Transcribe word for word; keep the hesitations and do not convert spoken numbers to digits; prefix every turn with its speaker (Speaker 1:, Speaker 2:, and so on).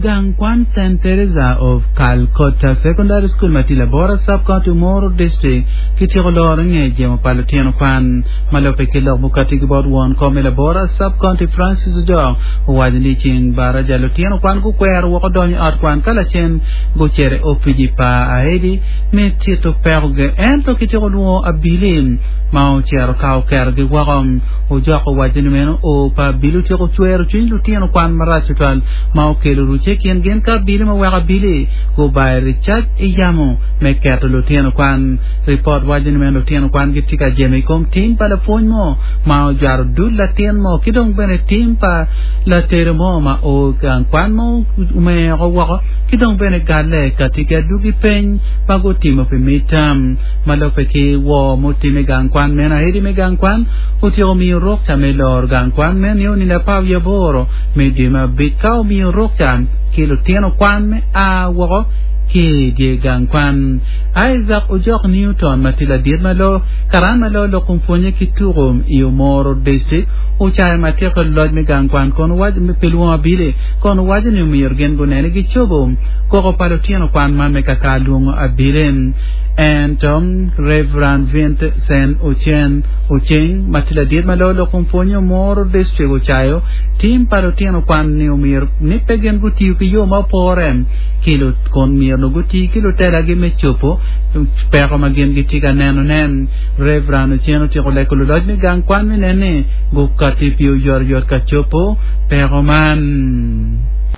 Speaker 1: Gang kwan Saint Teresa of Calcutta Secondary School ma tye Labora Sub-County Omoro District kityeko loro nge jemo pa lutino kwan ma lubbe ki lok mukati ki bot won kom me Labora Sub-County Francis Ojok owaco ni ceng baraja lutino kwan gukwero woko donyo i ot kwan ka lacen gucito i opici pa aedi me tito pekogi ento kityeko lwongo abili ma ocito ka oketogi woko. Ojok owaco ni meno o pa abili otyeko cwero cwiny lutino kwan marac tutwal ma okelo rucce i kin gin ka abili ma weko abili gubayo ricac i yamo me keto lutino kwan. Ripot waco ni meno lutino kwan gitye ka jemo i kom tim pa lapwony mo ma ojwaro dul latin mo ki dong bene tim pa latedo mo ma o gang kwan mo omeko woko ki dong bene galle kati ki adwogi peny ma gutimo pi midterm ma lubbe ki woo mutime gang kwan meno aedi me gang kwan otyeko miyo rukca me loro gang kwan meno nio nino apar wiye aboro me dwe me abic ka omiyo rukca ki lutino kwan me a woko ki i dye gang kwan. Isaac Ojok Newton ma tye ladit ma loo karan ma loo lok kom pwonye ki tuko i Omoro District ocayo matek ki loc me gang kwan kun owaco pi lwongo abili kun owaco ni omyero gin gunene gicobo koko pa lutino kwan man me kaka lwongo abili. Ento Reverend Vincent Ocen Oceng ma tye ladit ma loo lok kom pwonye Omoro District ocayo tim pa lutino kwan ni omyero ni pe gin gutiyo ki yo ma opore ki kun myero nongo guti ki lutelagi me cobo peko ma gin gitye ka nenone. Reverend Ocen otyeko lego luloc me gang kwan me nen ni gukati pi oyotoyot ka cobo peko man.